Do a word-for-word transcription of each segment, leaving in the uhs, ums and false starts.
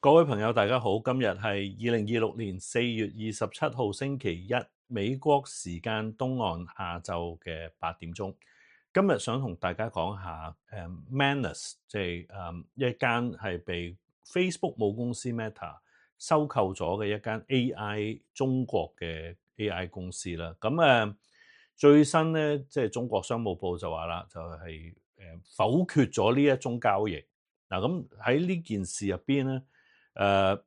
各位朋友，大家好。今日係二零二六年四月二十七號星期一，美國時間東岸下晝嘅八點鐘。今日想同大家講下誒 Manus，即係誒一間係被 Facebook 母公司 Meta 收購咗嘅一間 A I 中國嘅 A I 公司啦。咁誒最新咧，即係中國商務部就話啦，就係誒否決咗呢一宗交易。嗱，咁喺呢件事入邊咧。誒、uh,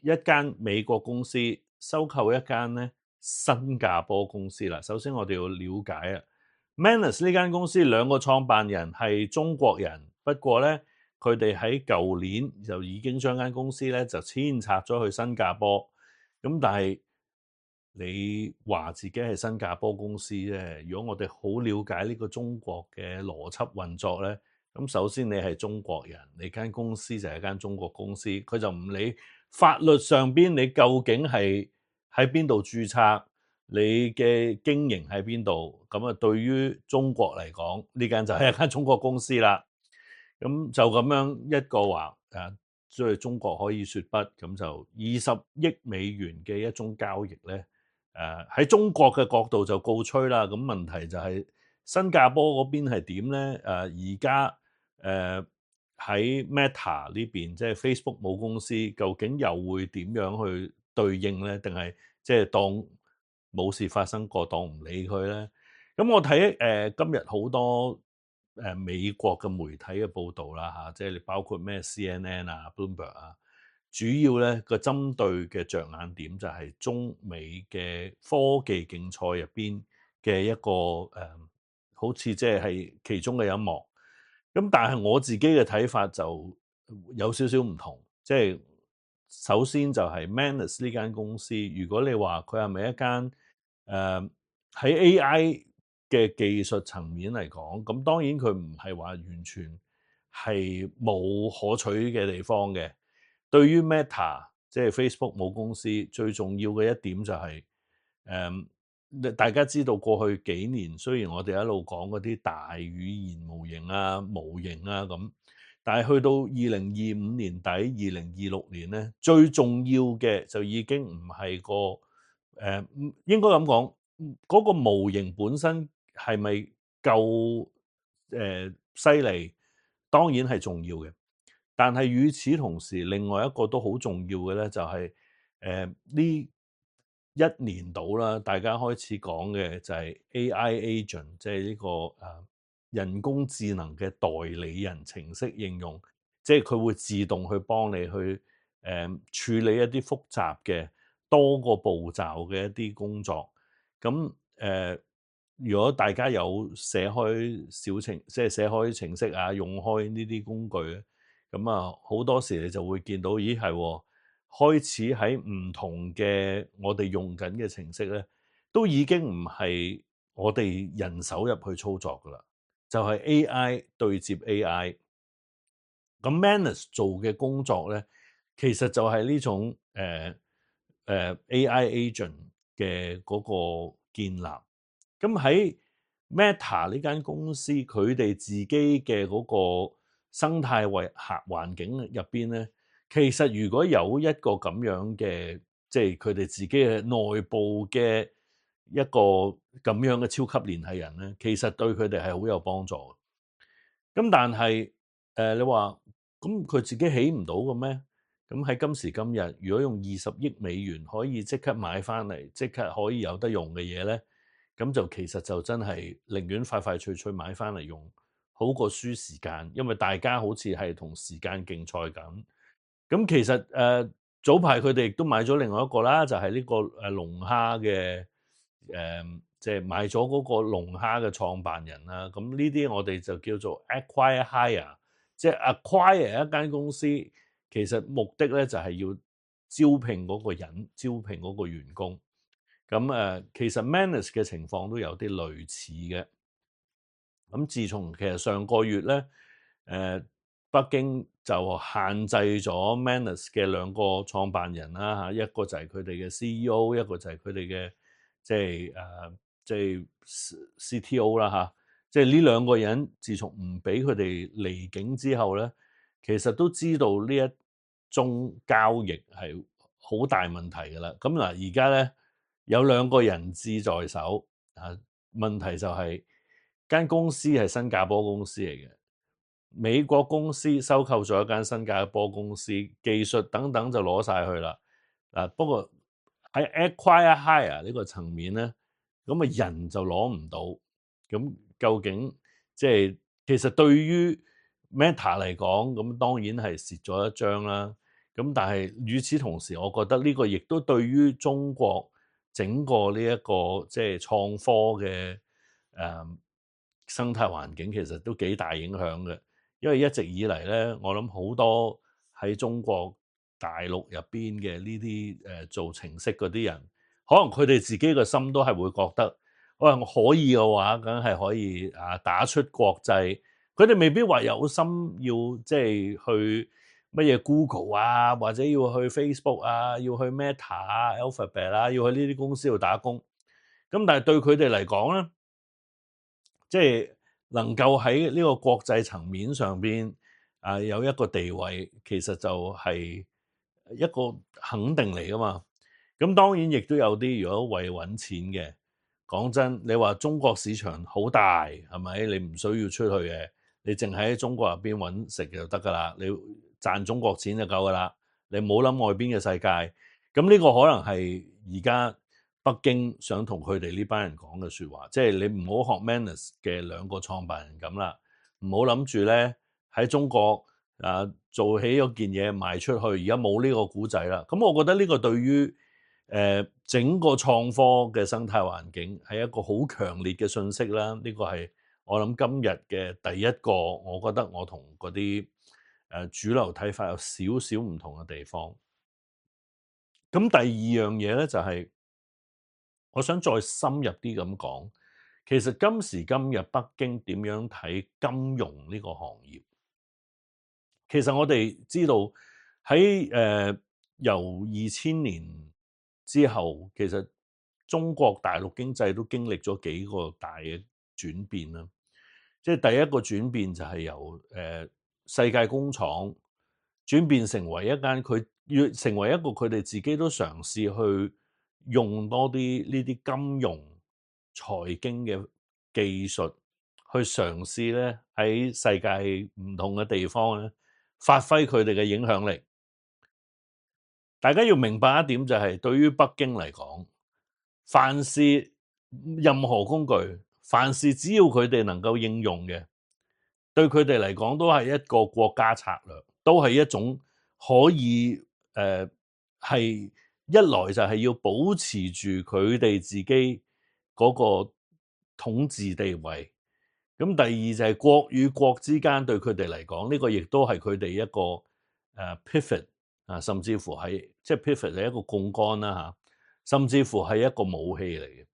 一間美國公司收購一間咧新加坡公司啦。首先我哋要了解啊 Manus 呢間公司兩個創辦人係中國人，不過咧佢哋喺舊年就已經將間公司咧就遷冊咗去新加坡。咁但係你話自己係新加坡公司啫，如果我哋好了解呢個中國嘅邏輯運作咧。咁首先你係中國人，你間公司就係間中國公司，佢就唔理法律上邊你究竟係喺邊度註冊，你嘅經營喺邊度，咁啊對於中國嚟講，呢間就係一間中國公司啦。咁就咁樣一個話誒，即係中國可以說不，咁就二十億美元嘅一宗交易咧，誒喺中國嘅角度就告吹啦。咁問題就係新加坡嗰邊係點咧？誒而家誒喺 Meta 呢邊，即係 Facebook 母公司，究竟又會點樣去對應咧？定係即係當冇事發生過，當唔理佢咧？咁我睇誒、呃、今日好多誒、呃、美國嘅媒體嘅報導啦嚇，即係你包括咩 C N N 啊、Bloomberg 啊，主要咧個針對嘅着眼點就係中美嘅科技競賽入邊嘅一個誒、呃，好似即係係其中嘅一幕。咁但係我自己嘅睇法就有少少唔同，即係首先就係 Manus 呢間公司，如果你話佢係咪一間誒喺 A I 嘅技術層面嚟講，咁當然佢唔係話完全係冇可取嘅地方嘅。對於 Meta 即係 Facebook 母公司最重要嘅一點就係、是、誒。嗯大家知道過去幾年，雖然我哋一路講嗰啲大語言模型啊、模型啊咁，但係去到二零二五年底、二零二六年咧，最重要嘅就已經唔係個誒、呃，應該咁講，嗰、那個模型本身係咪夠誒犀利？當然係重要嘅，但係與此同時，另外一個都好重要嘅咧，就係誒呢。一年到啦，大家開始講嘅就係 A I agent，即係呢個誒人工智能嘅代理人程式應用，即係佢會自動去幫你去誒處理一啲複雜嘅多個步驟嘅一啲工作。咁誒，如果大家有寫開小程，即係寫開程式啊，用開呢啲工具咧，咁啊好多時你就會見到，咦係喎。開始喺唔同嘅我哋用緊嘅程式咧，都已經唔係我哋人手入去操作噶啦，就係 A I 對接 A I。咁 Manus 做嘅工作咧，其實就係呢種誒誒、呃呃、A I agent 嘅嗰個建立。咁喺 Meta 呢間公司，佢哋自己嘅嗰個生態為客環境入邊咧。其實如果有一個咁樣嘅，即係佢哋自己嘅內部嘅一個咁樣嘅超級聯繫人咧，其實對佢哋係好有幫助嘅。咁但係誒、呃，你話咁佢自己起唔到嘅咩？咁喺今時今日，如果用二十億美元可以即刻買翻嚟，即刻可以有得用嘅嘢咧，咁就其實就真係寧願快快脆脆買翻嚟用，好過輸時間，因為大家好似係同時間競賽咁。咁其實誒、呃、早排佢哋亦都買咗另外一個啦，就係、是、呢個誒龍蝦嘅誒，即係買咗嗰個龍蝦嘅創辦人啦。咁呢啲我哋就叫做 acquire hire，即係 acquire 一間公司，其實目的咧就係要招聘嗰個人，招聘嗰個員工。咁誒、呃，其實 Manus 嘅情況都有啲類似嘅。咁自從其實上個月咧，誒、呃。北京就限制咗 Manus 嘅兩個創辦人啦嚇，一個就係佢哋嘅 C E O， 一個就係佢哋嘅即係誒即係 C T O 啦嚇，即係呢兩個人自從唔俾佢哋離境之後咧，其實都知道呢一中交易係好大問題㗎啦。咁嗱，而家咧有兩個人質在手啊，問題就係、是、間公司係新加坡公司嚟嘅，美國公司收購咗一間新加坡公司，技術等等就攞晒去啦。嗱，不過喺 acquire hire 呢個層面咧，咁啊人就攞唔到。咁究竟即係其實對於 Meta 嚟講，咁當然係蝕咗一張啦。咁但係與此同時，我覺得呢個亦都對於中國整個呢一個即係創科嘅誒生態環境，其實都幾大影響嘅。因為一直以嚟咧，我諗好多喺中國大陸入邊嘅呢啲誒做程式嗰啲人，可能佢哋自己個心都係會覺得，喂，我可以嘅話，梗係可以啊打出國際。佢哋未必話有心要即係去乜嘢 Google 啊，或者要去 Facebook 啊，要去 Meta 啊、Alphabet 啊，要去呢啲公司度打工。咁但係對佢哋嚟講咧，即係能夠喺呢個國際層面上邊啊有一個地位，其實就係一個肯定嚟噶嘛。咁當然亦都有啲如果為揾錢嘅，講真，你話中國市場好大係咪？你唔需要出去嘅，你淨喺中國入邊揾食就得噶啦，你賺中國錢就夠噶啦，你唔好諗外邊嘅世界。咁呢個可能係而家北京想同佢哋呢班人講嘅説話，即係你唔好學 Manus 嘅兩個創辦人咁啦，唔好諗住咧喺中國啊做起嗰件嘢賣出去，而家冇呢個古仔啦。咁我覺得呢個對於誒、呃、整個創科嘅生態環境係一個好強烈嘅訊息啦。呢、這個係我諗今日嘅第一個，我覺得我同嗰啲誒主流睇法有少少唔同嘅地方。咁第二樣嘢咧就係、是。我想再深入啲咁講，其實今時今日北京點樣睇金融呢個行業？其實我哋知道喺誒、呃、由二千年之後，其實中國大陸經濟都經歷咗幾個大嘅轉變啦。即係第一個轉變就係由誒、呃、世界工廠轉變成為一間佢要成為一個佢哋自己都嘗試去用多啲呢啲金融財經嘅技術去嘗試咧喺世界唔同嘅地方咧發揮佢哋嘅影響力。大家要明白一點就係、是，對於北京嚟講，凡是任何工具，凡是只要佢哋能夠應用嘅，對佢哋嚟講都係一個國家策略，都係一種可以誒係、呃、一來就係要保持住佢哋自己嗰個統治地位。咁第二就係國與國之間對佢哋嚟講，呢、這個亦都係佢哋一個誒、uh, pivot 啊，甚至乎係即係 pivot 係一個槓桿啦嚇，甚至乎係一個武器嚟嘅。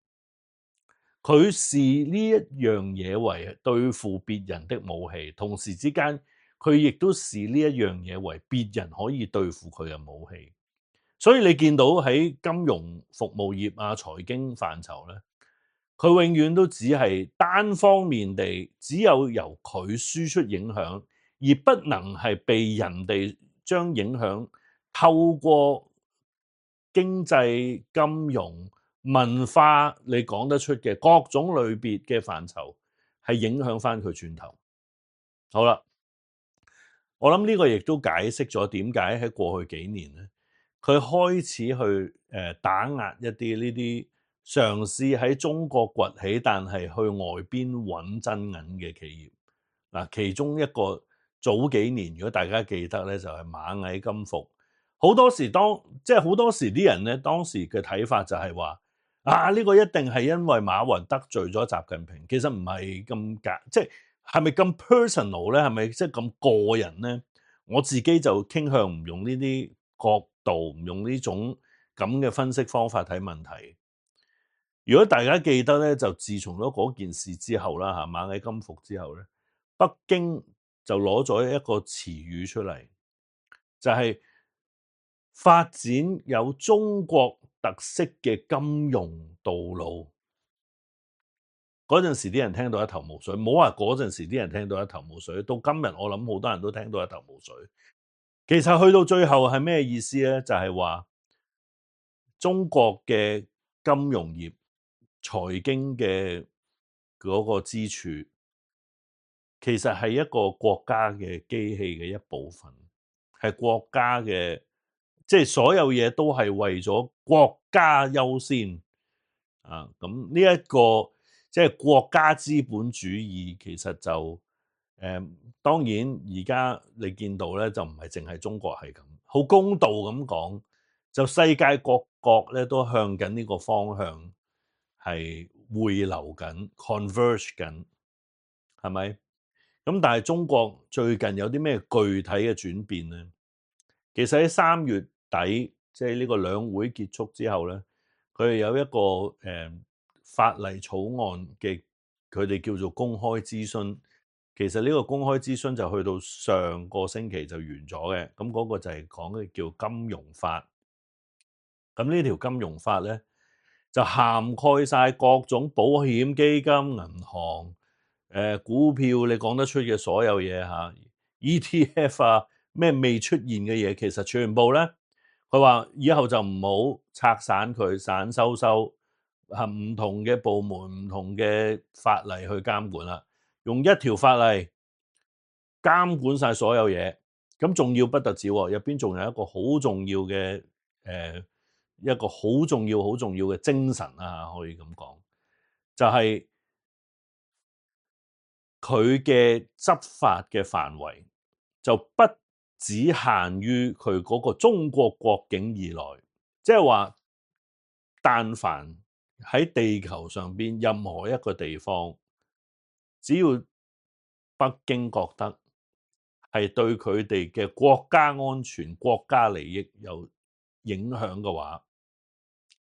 佢視呢一樣嘢為對付別人的武器，同時之間佢亦都視呢一樣嘢為別人可以對付佢嘅武器。所以你見到喺金融服務業啊、財經範疇咧，佢永遠都只係單方面地，只有由佢輸出影響，而不能係被人哋將影響透過經濟、金融、文化你講得出嘅各種類別嘅範疇，係影響翻佢轉頭。好啦，我諗呢個亦都解釋咗點解喺過去幾年咧，佢開始去誒打壓一啲呢啲嘗試喺中國崛起，但係去外邊揾真銀嘅企業。嗱，其中一個早幾年，如果大家記得咧，就係螞蟻金服。好多時當即係好多時啲人咧，當時嘅睇法就係話啊，呢個一定係因為馬雲得罪咗習近平。其實唔係咁假，即係係咪咁 personal 咧？係咪即係咁個人咧？我自己就傾向唔用呢啲角度，唔用呢種咁嘅分析方法睇問題。如果大家記得咧，就自從咗嗰件事之後啦，嚇螞蟻金服之後咧，北京就攞咗一個詞語出嚟，就係發展有中國特色嘅金融道路。嗰陣時啲人聽到一頭霧水，唔好話嗰陣時啲人聽到一頭霧水，到今日我諗好多人都聽到一頭霧水。其實去到最後係咩意思咧？就係話中國嘅金融業、財經嘅嗰個支柱，其實係一個國家嘅機器嘅一部分，係國家嘅，即係所有嘢都係為咗國家優先啊！咁呢一個即係國家資本主義，其實就誒當然而家你見到咧，就唔係淨係中國係咁，好公道咁講，就世界各國咧都向緊呢個方向係匯流緊 converge 緊，係咪？咁但係中國最近有啲咩具體嘅轉變咧？其實喺三月底，即係呢個兩會結束之後咧，佢哋有一個誒、呃、法例草案嘅，佢哋叫做公開諮詢。其實呢個公開諮詢就去到上個星期就完咗嘅。咁嗰個就係講嘅叫金融法。咁呢條金融法咧就涵蓋晒各種保險、基金、銀行、誒、呃、股票，你講得出嘅所有嘢嚇 ，E T F 啊，咩未出現嘅嘢，其實全部咧，佢話以後就唔好拆散佢，散收收，係唔同嘅部門、唔同嘅法例去監管啦，用一條法例監管晒所有嘢。咁仲要不特止喎，入邊仲有一個好重要嘅誒。呃一個好重要、好重要嘅精神啊，可以咁講，就係佢嘅執法嘅範圍就不只限於佢嗰個中國國境以內，即係話，但凡喺地球上邊任何一個地方，只要北京覺得係對佢哋嘅國家安全、國家利益有影響嘅話，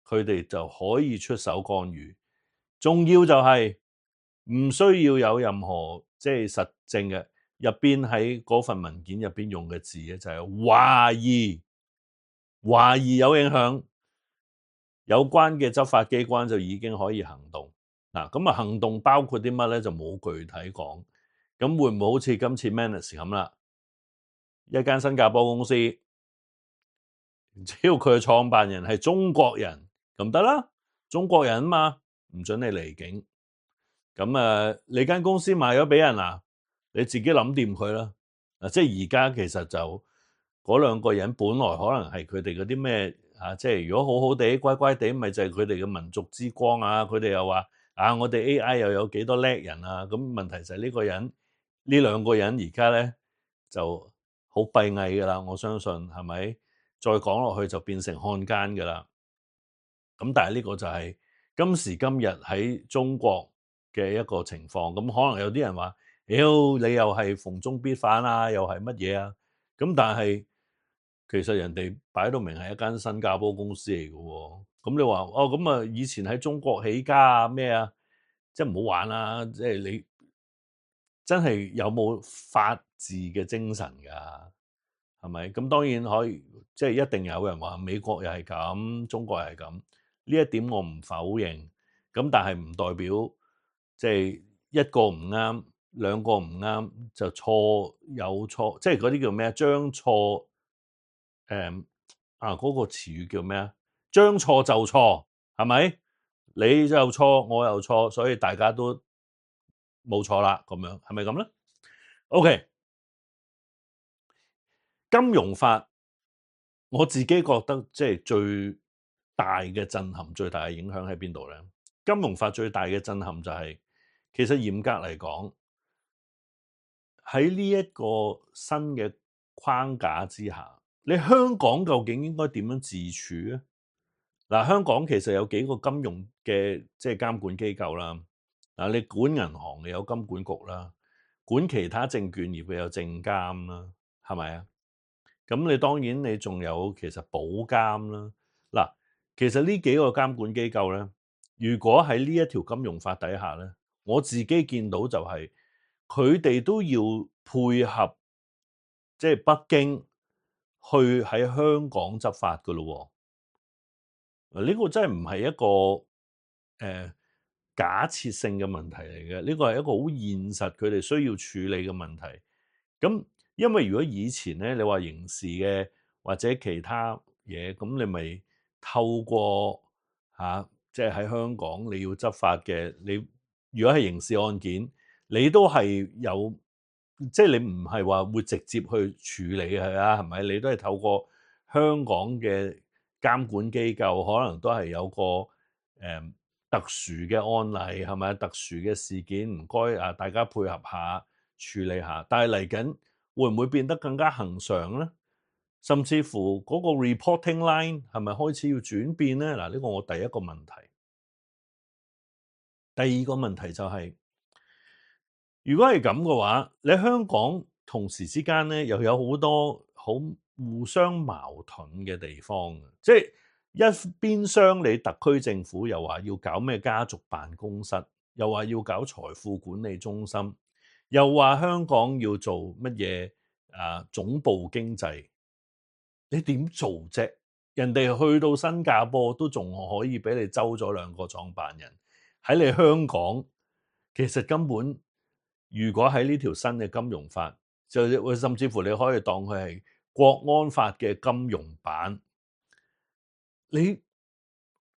佢哋就可以出手干預。重要就係唔需要有任何即係實證嘅，入邊喺嗰份文件入邊用嘅字咧就係懷疑，懷疑有影響，有關嘅執法機關就已經可以行動。嗱，咁啊行動包括啲乜咧就冇具體講。咁會唔會好似今次 Manus 咁啦？一間新加坡公司，只要佢嘅創辦人係中國人咁得啦，中國人啊嘛，唔准你離境。咁啊，你間公司賣咗俾人啊，你自己諗掂佢啦。啊，即係而家其實就嗰兩個人本來可能係佢哋嗰啲咩啊，即係如果好好地乖乖地，咪就係佢哋嘅民族之光啊。佢哋又話啊，我哋 A I 又有幾多叻人啊。咁問題就係呢個人呢兩個人而家咧就好閉翳噶啦，我相信係咪？再講落去就變成漢奸噶啦。咁但係呢個就係今時今日喺中國嘅一個情況。咁可能有啲人話，妖、哎、你又係逢中必反啊，又係乜嘢啊？咁但係其實人哋擺到明係一間新加坡公司嚟嘅喎。咁你話哦，咁啊以前喺中國起家啊咩啊，即係唔好玩啦！即係你真係有冇法治嘅精神㗎？係咪？咁當然可以，即係一定有人話美國又係咁，中國又係咁。呢一點我唔否認。咁但係唔代表即係一個唔啱，兩個唔啱就錯有錯，即係嗰啲叫咩啊？將錯誒啊嗰個詞語叫咩啊？將錯就錯，係咪？你就錯，我又錯，所以大家都冇錯啦。咁樣係咪咁咧？OK，金融法。我自己覺得即係最大嘅震撼、最大嘅影響喺邊度咧？金融法最大嘅震撼就係、是，其實嚴格嚟講，喺呢一個新嘅框架之下，你香港究竟應該點樣自處咧？嗱，香港其實有幾個金融嘅即係監管機構啦。嗱，你管銀行嘅有金管局啦，管其他證券業嘅有證監啦，係咪啊？咁你當然你仲有其實保監啦。嗱，其實呢幾個監管機構咧，如果喺呢一條金融法底下咧，我自己見到就係佢哋都要配合，即係北京去喺香港執法噶咯。呢、這個真係唔係一個誒、呃、假設性嘅問題嚟嘅，呢、這個係一個好現實佢哋需要處理嘅問題。咁因為如果以前咧，你話刑事嘅或者其他嘢，咁你咪透過嚇，即係喺香港你要執法嘅，你如果係刑事案件，你都係有，即係你唔係話會直接去處理佢啊，係咪？你都係透過香港嘅監管機構，可能都係有個誒、嗯、特殊嘅案例，係咪？特殊嘅事件，唔該啊，大家配合下處理下。但係嚟緊會唔會變得更加恆常咧？甚至乎嗰個 reporting line 係咪開始要轉變咧？嗱，呢個我第一個問題。第二個問題就係，如果係咁嘅話，你香港同時之間咧又有好多好互相矛盾嘅地方，即係一邊廂你特區政府又話要搞咩家族辦公室，又話要搞財富管理中心，又話香港要做乜嘢啊總部經濟，你點做啫？人哋去到新加坡都仲可以俾你周咗兩個創辦人，喺你香港其實根本，如果喺呢條新嘅金融法，就甚至乎你可以當佢係國安法嘅金融版，你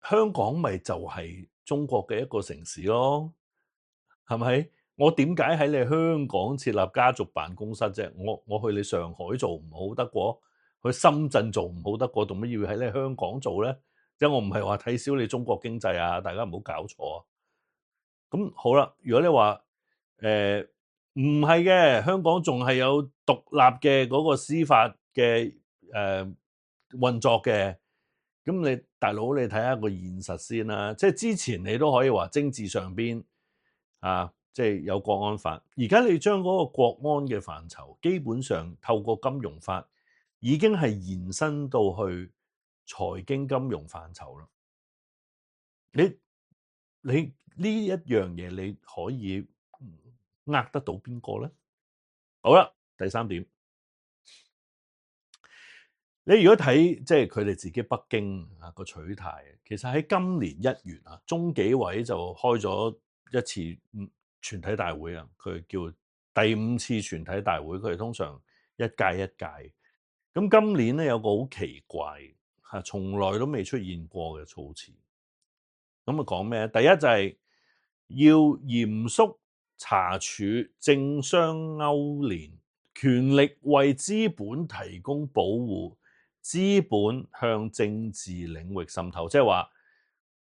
香港咪就係中國嘅一個城市咯，係咪？我點解喺你香港設立家族辦公室啫？我我去你上海做唔好得過，去深圳做唔好得過，做乜要喺你香港做咧？即係我唔係話睇小你中國經濟啊，大家唔好搞錯啊！咁好啦，如果你話誒唔係嘅，香港仲係有獨立嘅嗰個司法嘅誒、呃、運作嘅，咁你大佬你睇下個現實先啦。即係之前你都可以話政治上邊啊，即係有國安法，而家你將嗰個國安嘅範疇，基本上透過金融法已經係延伸到去財經金融範疇啦。你你呢一樣嘢你可以呃得到邊個咧？好啦，第三點，你如果睇即係佢哋自己北京啊個取態，其實喺今年一月啊，中紀委就開咗一次全體大會啊，佢叫第五次全體大會，佢哋通常一屆一屆。咁今年咧有個好奇怪嚇，從來都未出現過嘅措辭。咁啊講咩？第一就係要嚴肅查處政商勾連，權力為資本提供保護，資本向政治領域滲透，即係話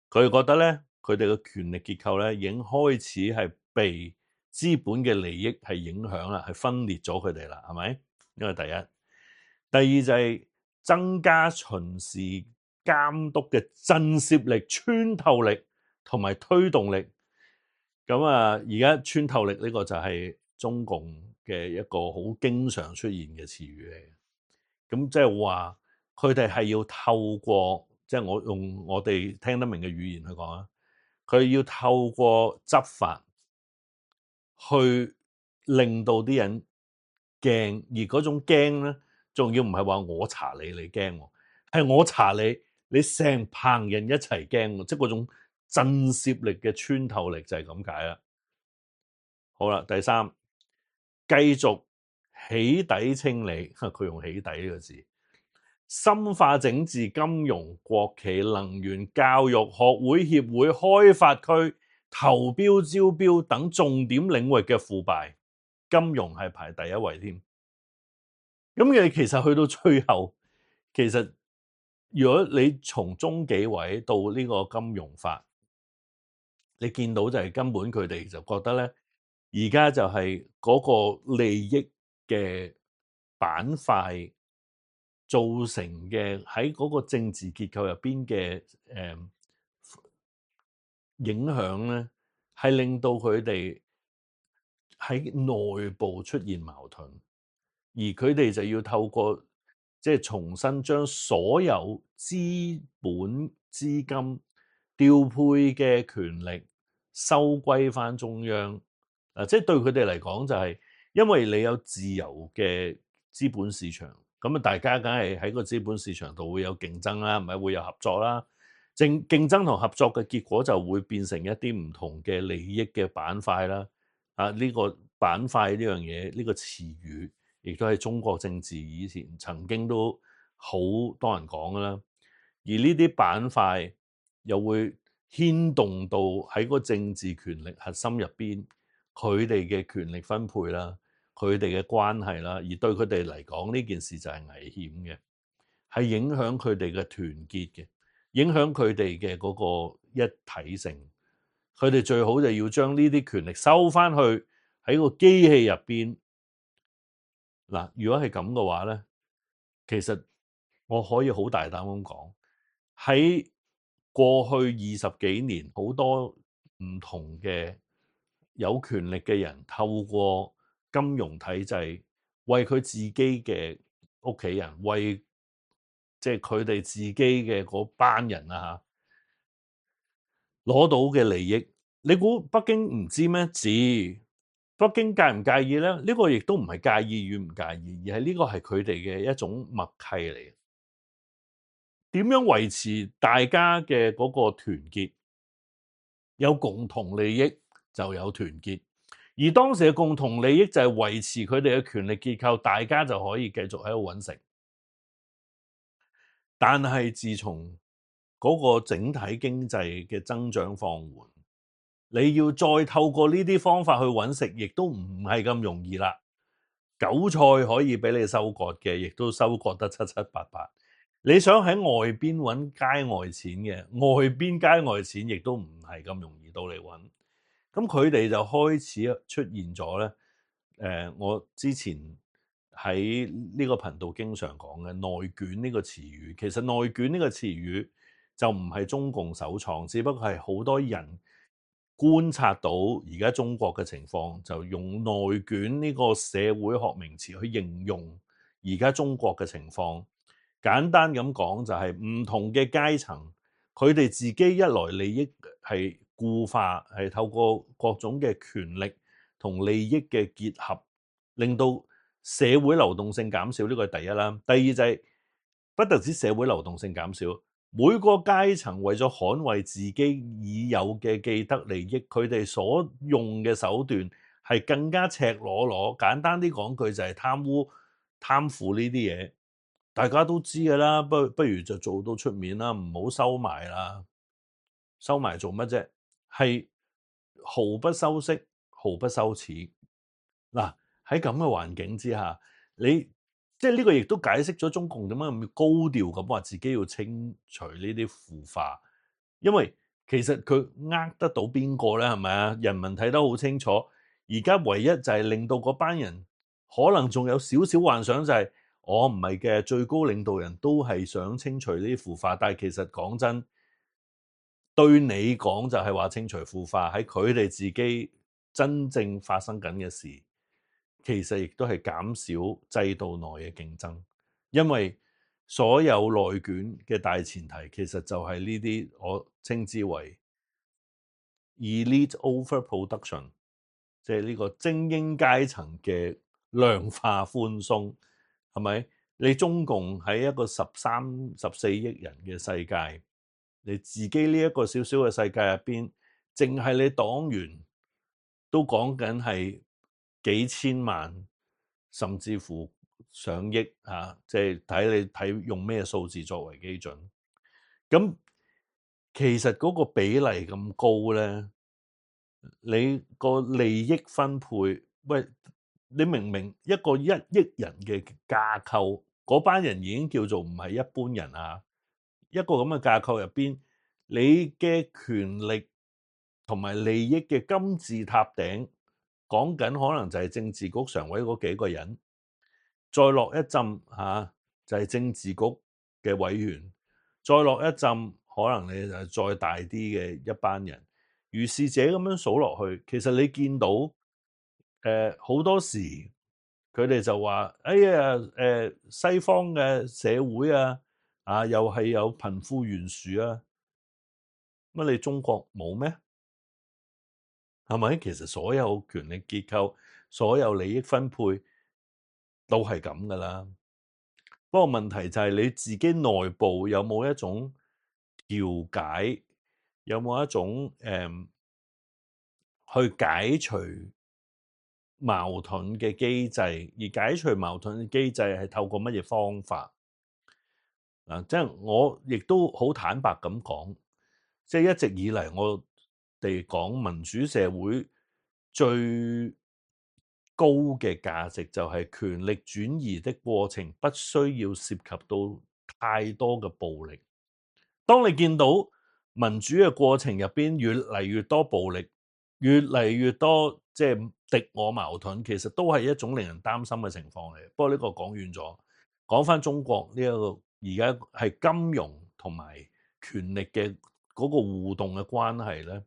佢哋覺得咧，佢哋嘅權力結構咧已經開始係被資本嘅利益係影響啦，係分裂咗佢哋啦，係咪？呢個第一。第二就係增加巡視監督嘅震懾力、穿透力同埋推動力。咁啊，而家穿透力呢個就係中共嘅一個好經常出現嘅詞語嚟嘅。咁即係話佢哋係要透過，即係我用我哋聽得明嘅語言去講啊，佢要透過執法去令到啲人驚，而嗰種驚咧，仲要唔係話我查你你驚，係我查你，你成棚人一齊驚，即係嗰種震懾力嘅穿透力就係咁解啦。好啦，第三，繼續起底清理，佢用起底呢個字，深化整治金融、國企、能源、教育、學會、協會、開發區、投標、招標等重點領域嘅腐敗，金融係排第一位添。咁你其實去到最後，其實如果你從中紀委到呢個金融法，你見到就係根本佢哋就覺得咧。而家就係嗰個利益嘅板塊造成嘅喺嗰個政治結構入邊嘅誒影響咧，係令到佢哋喺內部出現矛盾，而佢哋就要透過即係、就是、重新將所有資本資金調配嘅權力收歸翻中央。嗱，即係對佢哋嚟講就係，因為你有自由嘅資本市場，咁啊大家梗係喺個資本市場度會有競爭啦，唔係會有合作啦。競競爭同合作嘅結果就會變成一啲唔同嘅利益嘅板塊啦。啊，呢個板塊呢樣嘢呢個詞語亦都係中國政治以前曾經都好多人講㗎啦。而呢啲板塊又會牽動到喺個政治權力核心入邊，佢哋嘅權力分配啦，佢哋嘅關係啦，而對佢哋嚟講呢件事就係危險嘅，係影響佢哋嘅團結嘅，影響佢哋嘅嗰個一體性。佢哋最好就要將呢啲權力收翻去喺個機器入邊。嗱，如果係咁嘅話咧，其實我可以好大膽咁講，喺過去二十幾年，好多唔同嘅有權力嘅人透過金融體制，為佢自己嘅屋企人，為即係佢哋自己嘅嗰班人啊嚇，攞到嘅利益，你估北京唔知咩？知。北京介唔介意咧？呢個亦都唔係介意與唔介意，而係呢個係佢哋嘅一種默契嚟嘅。點樣維持大家嘅嗰個團結？有共同利益就有團結，而當時嘅共同利益就係維持佢哋嘅權力結構，大家就可以繼續喺度搵食。但係自從嗰個整體經濟嘅增長放緩，你要再透過呢啲方法去搵食，亦都唔係咁容易啦。韭菜可以俾你收割嘅，亦都收割得七七八八。你想喺外邊搵街外錢嘅，外邊街外錢亦都唔係咁容易到你搵。咁佢哋就開始出現咗咧。誒，我之前喺呢個頻道經常講嘅內卷呢個詞語，其實內卷呢個詞語就唔係中共首創，只不過係好多人觀察到而家中國嘅情況，就用內卷呢個社會學名詞去形容而家中國嘅情況。簡單咁講就係唔同嘅階層，佢哋自己一來利益係固化，係透過各種嘅權力同利益嘅結合，令到社會流動性減少，呢個係第一啦。第二就係不特止社會流動性減少，每個階層為咗捍衛自己已有嘅既得利益，佢哋所用嘅手段係更加赤裸裸。簡單啲講句就係貪污、貪腐呢啲嘢，大家都知㗎啦。不不如就做到出面啦，唔好收埋啦。收埋做乜啫？係毫不修飾、毫不羞恥。嗱，喺咁嘅環境之下，你即係呢個亦都解釋咗中共點解咁高調咁話自己要清除呢啲腐化，因為其實佢呃得到邊個咧？係咪啊？人民睇得好清楚，而家唯一就係令到嗰班人可能仲有少少幻想，就係我唔係嘅，最高領導人都係想清除呢啲腐化，但係其實講真，對你講就係話清除腐化，喺佢哋自己真正發生緊嘅事，其實亦都係減少制度內嘅競爭，因為所有內卷嘅大前提其實就係呢啲我稱之為 elite overproduction， 即係呢個精英階層嘅量化寬鬆，係咪？你中共喺一個十三、十四億人嘅世界，你自己呢一個小小嘅世界入邊，淨係你黨員都講緊係幾千萬，甚至乎上億啊！即係睇你睇用咩數字作為基準。咁其實嗰個比例咁高咧，你個利益分配，喂，你明明一個一億人嘅架構，嗰班人已經叫做唔係一般人啊！一個咁嘅架構入邊，你嘅權力同埋利益嘅金字塔頂，講緊可能就係政治局常委嗰幾個人，再落一浸嚇、啊、就係、是、政治局嘅委員，再落一浸可能你就係再大啲嘅一班人，如是者咁樣數落去，其實你見到誒好、呃、多時佢哋就話：哎呀誒、呃、西方嘅社會啊，啊又係有貧富懸殊啊，乜你中國冇咩？係咪？其實所有權力結構、所有利益分配都係咁噶啦。不過問題就係你自己內部有冇一種調解，有冇一種誒、嗯、去解除矛盾嘅機制，而解除矛盾嘅機制係透過乜嘢方法？嗱，即係我亦都好坦白咁講，即係一直以嚟我哋講民主社會最高嘅價值就係權力轉移的過程不需要涉及到太多嘅暴力。當你見到民主嘅過程入邊越嚟越多暴力，越嚟越多即係敵我矛盾，其實都係一種令人擔心嘅情況嚟。不過呢個講遠咗，講翻中國呢一個而家係金融同埋權力嘅嗰個互動嘅關係咧，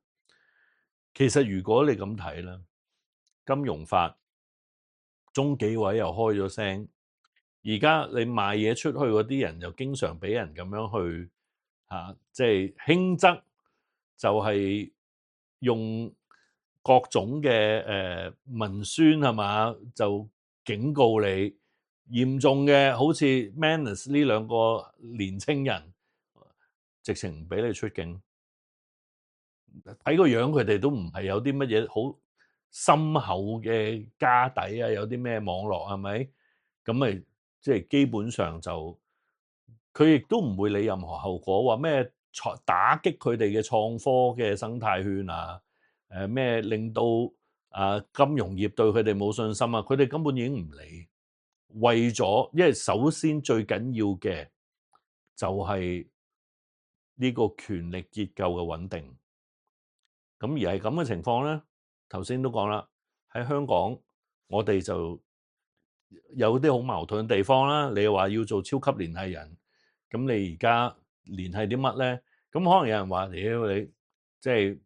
其實如果你咁睇咧，金融法中紀委又開咗聲，而家你賣嘢出去嗰啲人又經常俾人咁樣去嚇，即係輕則就係用各種嘅誒文宣係嘛，就警告你。嚴重嘅好似 Manus 呢兩個年青人，直情唔俾你出境。睇個樣佢哋都唔係有啲乜嘢好深厚嘅家底啊，有啲咩網絡係咪？咁咪即係基本上就佢亦都唔會理任何後果，話咩打擊佢哋嘅創科嘅生態圈啊，誒咩令到啊金融業對佢哋冇信心啊，佢哋根本已經唔理。為咗，因為首先最緊要嘅就係呢個權力結構嘅穩定。咁而係咁嘅情況咧，頭先都講啦，喺香港我哋就有啲好矛盾嘅地方啦。你話要做超級聯繫人，咁你而家聯繫啲乜咧？咁可能有人話：屌你，即係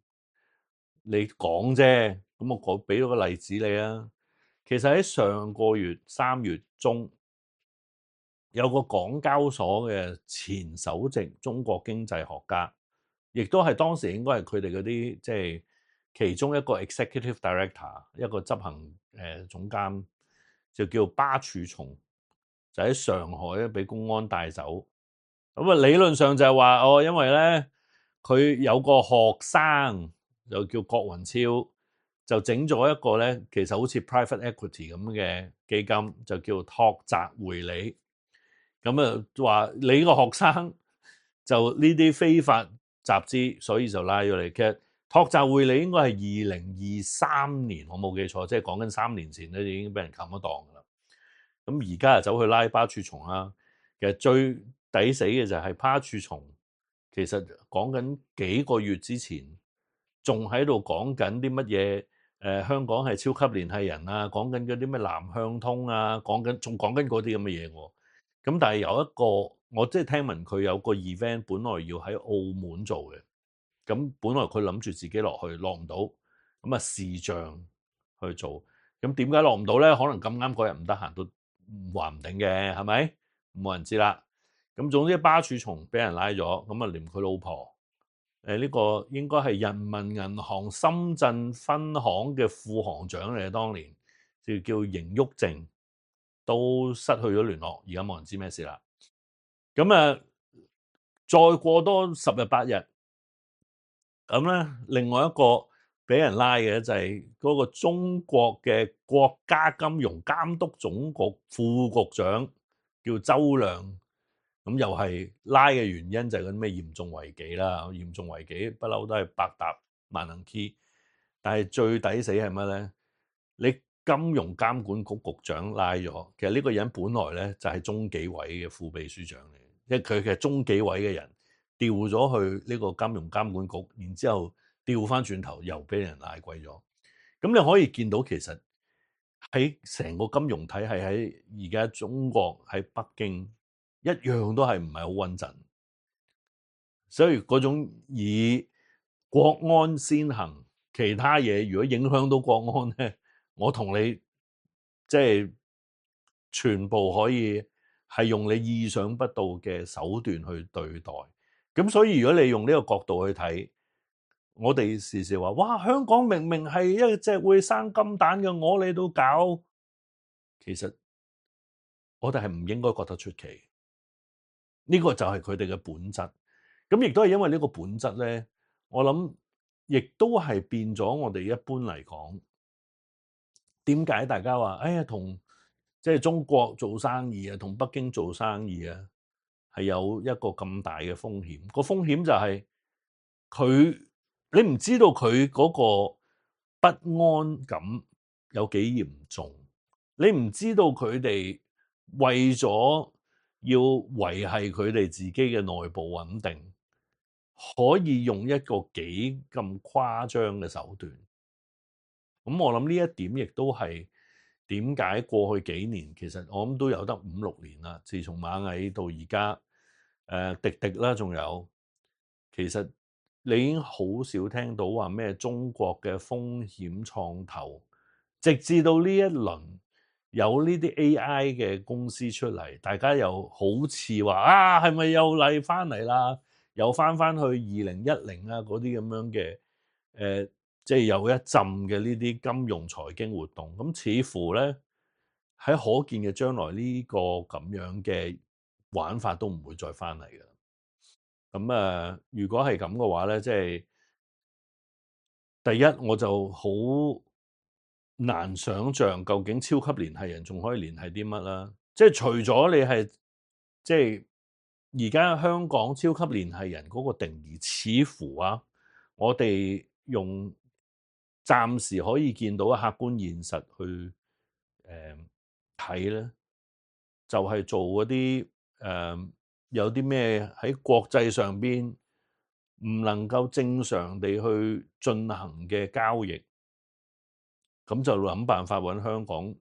你講啫。咁我講俾咗個例子你啊。其實喺上個月三月中，有個港交所嘅前首席中國經濟學家，亦都係當時應該係佢哋嗰啲即係其中一個 executive director， 一個執行誒、呃、總監，就叫巴曙松，就喺上海咧俾公安帶走。咁啊理論上就係話哦，因為咧佢有個學生就叫郭雲超，就整咗一個咧，其實好似 private equity 咁嘅基金，就叫拓澤匯理。咁啊話你個學生就呢啲非法集資，所以就拉咗你。其實拓澤匯理應該係二零二三年，我冇記錯，即係講緊三年前咧已經俾人冚咗檔噶啦。咁而家就走去拉巴曙松啦。其實最抵死嘅就係巴曙松，其實講緊幾個月之前仲喺度講緊啲乜嘢？誒、呃、香港係超級聯繫人啊，講緊嗰啲咩南向通啊，講緊仲講緊嗰啲咁嘅嘢喎。咁但係有一個，我即係聽聞佢有個 event，本來要喺澳門做嘅，咁本來佢諗住自己落去，落唔到，咁啊視像去做。咁點解落唔到咧？可能咁啱嗰日唔得閒都話唔定嘅，係咪？冇人知啦。咁總之巴曙松俾人拉咗，咁啊連佢老婆。誒、這、呢個應該係人民銀行深圳分行嘅副行長嚟嘅，當年就叫邢旭正，都失去咗聯絡，而家冇人知咩事啦。咁啊，再過多十日八日，咁咧另外一個俾人拉嘅就係嗰個中國嘅國家金融監督總局副局長，叫周亮。咁又係拉嘅原因就係嗰啲咩嚴重違紀啦，嚴重違紀不嬲都係百搭萬能 key， 但係最抵死係乜咧？你金融監管局局長拉咗，其實呢個人本來咧就係中紀委嘅副秘書長嚟，因為佢其實中紀委嘅人調咗去呢個金融監管局，然之後調翻轉頭又俾人拉貴咗。咁你可以見到其實喺成個金融體系喺而家中國喺北京，一樣都係唔係好穩陣，所以嗰種以國安先行，其他嘢如果影響到國安咧，我同你即係全部可以係用你意想不到嘅手段去對待。咁所以如果你用呢個角度去睇，我哋時時話哇，香港明明係一隻會生金蛋嘅鵝，你都搞，其實我哋係唔應該覺得出奇。呢個就係佢哋嘅本質，咁亦都係因為呢個本質咧，我諗亦都係變咗我哋一般嚟講點解大家話哎呀同即係中國做生意啊，同北京做生意啊，係有一個咁大嘅風險？個風險就係佢你唔知道佢嗰個不安感有幾嚴重，你唔知道佢哋為咗要維繫佢哋自己嘅內部穩定，可以用一個幾咁誇張嘅手段。咁我諗呢一點亦都係點解過去幾年其實我諗都有得五六年啦，自從螞蟻到而家，誒滴滴啦，仲有其實你已經好少聽到話咩中國嘅風險創投，直至到呢一輪有呢啲 A I 嘅公司出嚟，大家又好似話啊，係咪又嚟翻嚟啦？又翻翻去二零一零啊嗰啲咁樣嘅誒。呃即係有一陣嘅呢啲金融財經活動，咁似乎咧喺可見嘅將來呢個咁樣嘅玩法都唔會再翻嚟嘅。咁啊，如果係咁嘅話咧，即係第一我就好難想像究竟超級聯繫人仲可以聯繫啲乜啦。即係除咗你係即係而家香港超級聯繫人嗰個定義，似乎啊，我哋用暫時可以見到嘅客觀現實去誒睇咧，就係、是、做嗰啲誒有啲咩喺國際上邊唔能夠正常地去進行嘅交易，咁就諗辦法揾香港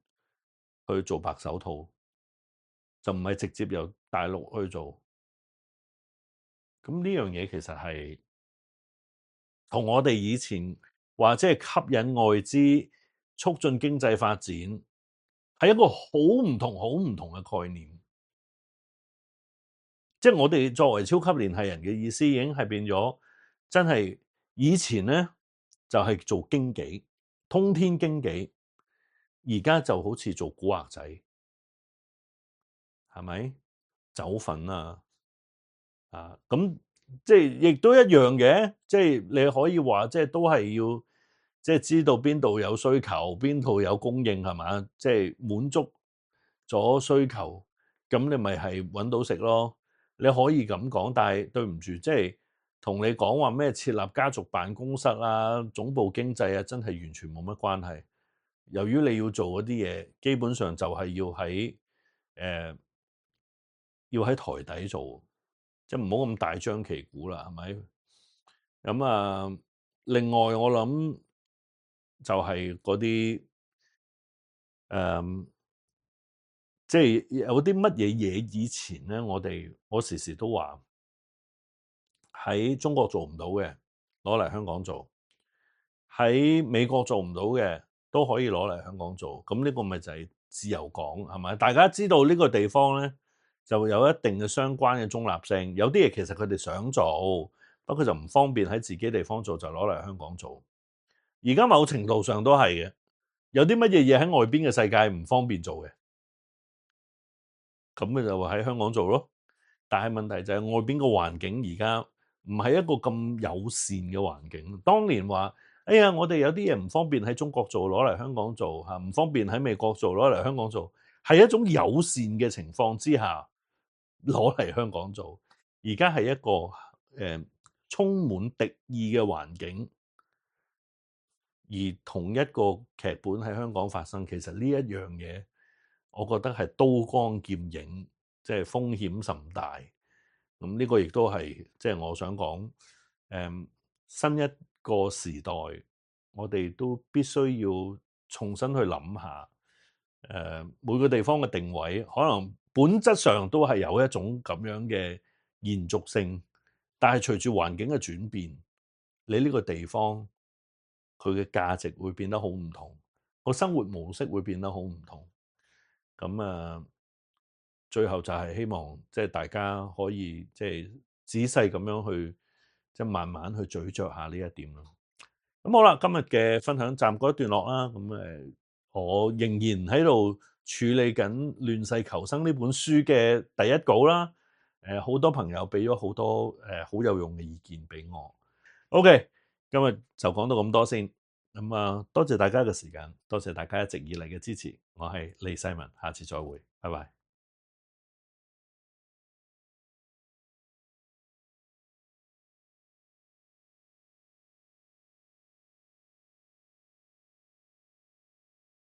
去做白手套，就唔係直接由大陸去做。咁呢樣嘢其實係同我哋以前話即係吸引外資、促進經濟發展，係一個好唔同、好唔同嘅概念。即係我哋作為超級聯繫人嘅意思，已經係變咗真係以前咧就係做經紀、通天經紀，而家就好似做古惑仔，係咪走粉啊？啊咁即係亦都一樣嘅，即係你可以話即係都係要即係知道邊度有需求，邊度有供應，係嘛？即係滿足咗需求，咁你咪係揾到食咯。你可以咁講，但係對唔住，即係同你講話咩設立家族辦公室啊、總部經濟啊，真係完全冇乜關係。由於你要做嗰啲嘢，基本上就係要喺誒、呃、要喺台底做。即係唔好咁大張旗鼓啦，係咪？咁啊，另外我諗就係嗰啲誒，即係有啲乜嘢嘢以前咧，我哋我時時都話喺中國做唔到嘅，攞嚟香港做；喺美國做唔到嘅，都可以攞嚟香港做。咁呢個咪就係自由港，係咪？大家知道呢個地方咧，就有一定嘅相關嘅中立性，有啲嘢其實佢哋想做，不過就唔方便喺自己地方做，就攞嚟香港做。而家某程度上都係嘅，有啲乜嘢嘢喺外邊嘅世界唔方便做嘅，咁咪就喺香港做咯。但係問題就係外邊個環境而家唔係一個咁友善嘅環境。當年話，哎呀，我哋有啲嘢唔方便喺中國做，攞嚟香港做嚇，唔方便喺美國做，攞嚟香港做，係一種友善嘅情況之下。攞嚟香港做，而家係一個誒、呃、充滿敵意嘅環境，而同一個劇本喺香港發生，其實呢一樣嘢，我覺得係刀光劍影，即係風險甚大。咁呢個亦都係即係我想講，誒、呃、新一個時代，我哋都必須要重新去諗下，誒、呃、每個地方嘅定位可能。本質上都係有一種咁樣嘅延續性，但係隨住環境嘅轉變，你呢個地方佢嘅價值會變得好唔同，個生活模式會變得好唔同。咁啊，最後就係希望即係大家可以即係仔細咁樣去即係慢慢去咀嚼下呢一點咯。咁好啦，今日嘅分享暫告一段落啦。咁誒，我仍然喺度處理緊《亂世求生》呢本書嘅第一稿啦，誒好多朋友俾咗好多誒好有用嘅意見俾我。OK，今日就講到咁多先。咁啊，多謝大家嘅時間，多謝大家一直以嚟嘅支持。我係李世民，下次再會，拜拜。